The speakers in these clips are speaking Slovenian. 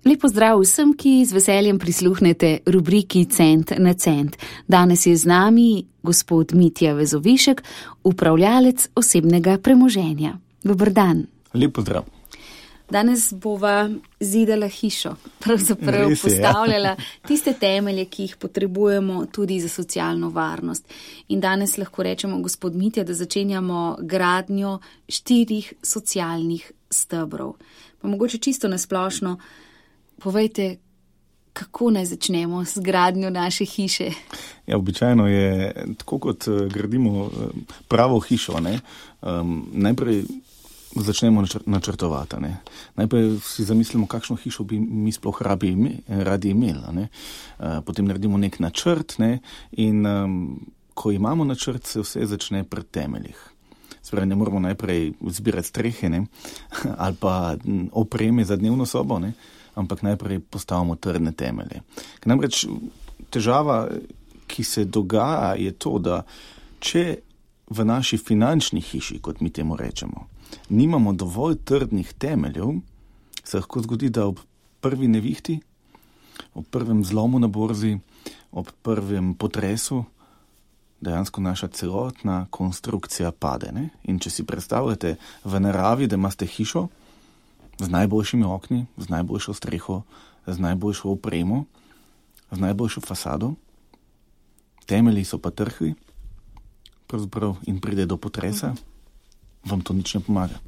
Lepo zdrav vsem, ki z veseljem prisluhnete rubriki Cent na cent. Danes je z nami gospod Mitja Vezovišek, upravljalec osebnega premoženja. Dober dan. Lepo zdrav. Danes bova zidala hišo, pravzaprav postavljala tiste temelje, ki jih potrebujemo tudi za socialno varnost. In danes lahko rečemo, gospod Mitja, da začenjamo gradnjo 4 socialnih stebrov. Pa mogoče čisto nasplošno, povejte, kako naj začnemo z gradnjo naše hiše? Ja, običajno je tako, kot gradimo pravo hišo, ne? Najprej začnemo načrtovati. Ne? Najprej si zamislimo, kakšno hišo bi mi sploh radi imeli. Ne? Potem naredimo nek načrt, ne? In ko imamo načrt, se vse začne pri temeljih. Spravi, ne moramo najprej zbirati strehe, ne? Ali pa opreme za dnevno sobo, ne? Ampak najprej postavimo trdne temelje. Namreč težava, ki se dogaja, je to, da če v naši finančni hiši, kot mi temu rečemo, nimamo dovolj trdnih temeljev, se lahko zgodi, da ob prvi nevihti, ob prvem zlomu na borzi, ob prvem potresu, dejansko naša celotna konstrukcija pade. Ne? In če si predstavljate v naravi, da imate hišo z najboljšimi okni, z najboljšo streho, z najboljšo opremo, z najboljšo fasado, temelji so pa trhli, pravzaprav in pride do potresa, vam to nič ne pomaga.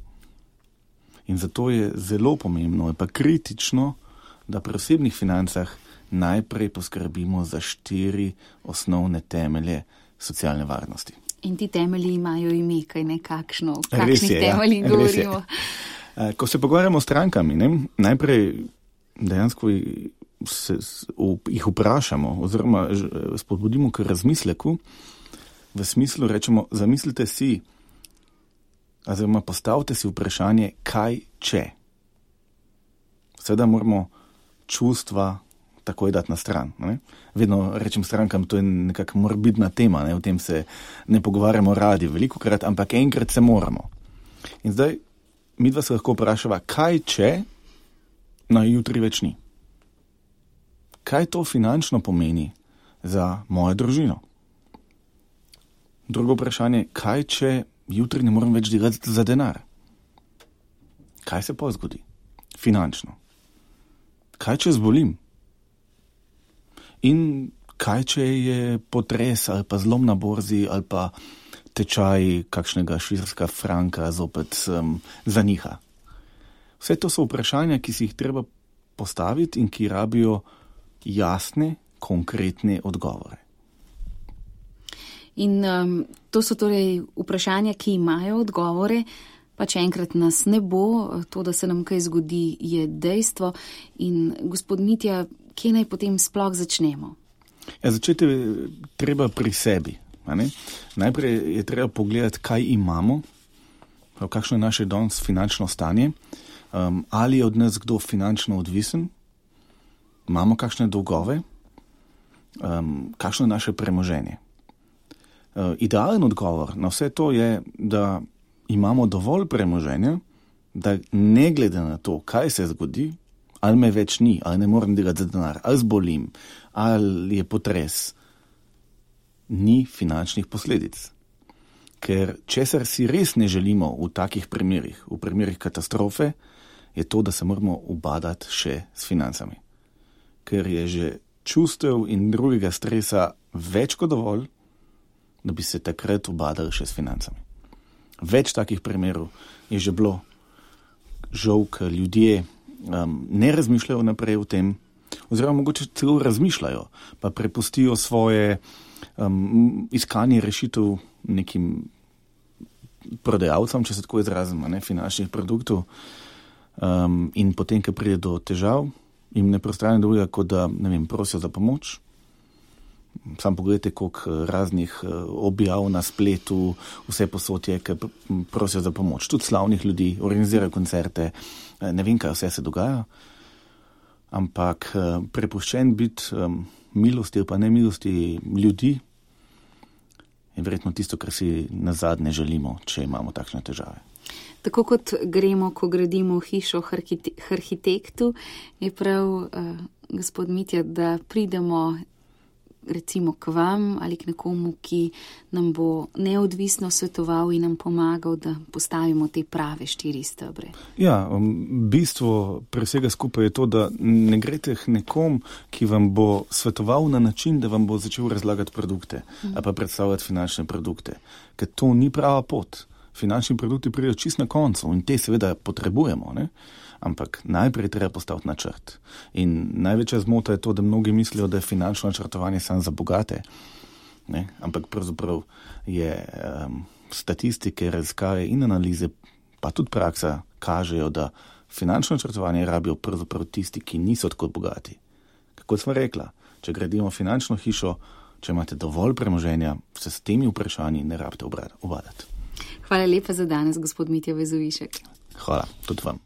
In zato je zelo pomembno, je pa kritično, da pri osebnih financah najprej poskrbimo za 4 osnovne temelje socialne varnosti. In ti temelji imajo ime, kaj nekakšno, o kakšnih temeljih govorimo. Ko se pogovarjamo s strankami, ne, najprej dejansko jih vprašamo oziroma spodbudimo k razmisleku, v smislu rečemo, zamislite si, oziroma postavite si vprašanje, kaj če. Seveda moramo čustva takoj dati na stran. Ne? Vedno rečem strankam, to je nekako morbidna tema, ne? O tem se ne pogovarjamo radi velikokrat, ampak enkrat se moramo. In zdaj midva se lahko vprašava, kaj če na jutri več ni? Kaj to finančno pomeni za mojo družino? Drugo vprašanje, kaj če jutri ne morem več delati za denar? Kaj se pa zgodi? Finančno. Kaj če zbolim? In kaj če je potres ali pa zlom na borzi ali pa tečaj kakšnega švicarskega franka zopet zaniha? Vse to so vprašanja, ki si jih treba postaviti in ki rabijo jasne, konkretne odgovore. In to so torej vprašanja, ki imajo odgovore, pa če enkrat nas ne bo, to, da se nam kaj zgodi, je dejstvo. In gospod Mitja, kje naj potem sploh začnemo? Ja, začeti treba pri sebi. Najprej je treba pogledati, kaj imamo, kakšno je naše danes finančno stanje, ali je od nas kdo finančno odvisen, imamo kakšne dolgove, kakšno je naše premoženje. Idealen odgovor na vse to je, da imamo dovolj premoženja, da ne glede na to, kaj se zgodi, ali me več ni, ali ne morem delati za denar, ali zbolim, ali je potres, ni finančnih posledic. Ker česar si res ne želimo v takih primerih, v primerih katastrofe, je to, da se moramo ubadati še s financami. Ker je že čustev in drugega stresa več kot dovolj, da bi se takrat ubadali še s financami. Več takih primerov je že bilo. Žal, ker ljudje ne razmišljajo naprej o tem, oziroma mogoče celo razmišljajo, pa prepustijo svoje iskanje rešitev nekim prodajalcem, če se tako izrazim, finančnih produktov, in potem, ko pride do težav, jim ne preostane drugega, kot da, prosijo za pomoč. Sam pogledajte, koliko raznih objav na spletu, vse posod je, ki prosijo za pomoč. Tudi slavnih ljudi, organizirajo koncerte, ne vem, kaj vse se dogaja, ampak prepuščen biti milosti ali pa nemilosti ljudi je verjetno tisto, kar si nazadnje želimo, če imamo takšne težave. Tako kot gremo, ko gradimo hišo arhitektu, je prav, gospod Mitja, da pridemo recimo k vam ali k nekomu, ki nam bo neodvisno svetoval in nam pomagal, da postavimo te prave 4 stebre. Ja, bistvo pri vsega skupaj je to, da ne greste k nekom, ki vam bo svetoval na način, da vam bo začel razlagati produkte ali pa predstavljati finančne produkte. Ker to ni prava pot. Finančni produkti pridejo čist na koncu in te seveda potrebujemo, ne? Ampak najprej treba postaviti načrt. In največja zmota je to, da mnogi mislijo, da je finančno načrtovanje samo za bogate. Ne? Ampak pravzaprav je statistike, raziskave in analize, pa tudi praksa, kažejo, da finančno načrtovanje rabijo pravzaprav tisti, ki niso tako bogati. Kako smo rekla, če gradimo finančno hišo, če imate dovolj premoženja, se s temi vprašanji ne rabite obadati. Hvala lepa za danes, gospod Mitja Vezovišek. Hvala, tudi vam.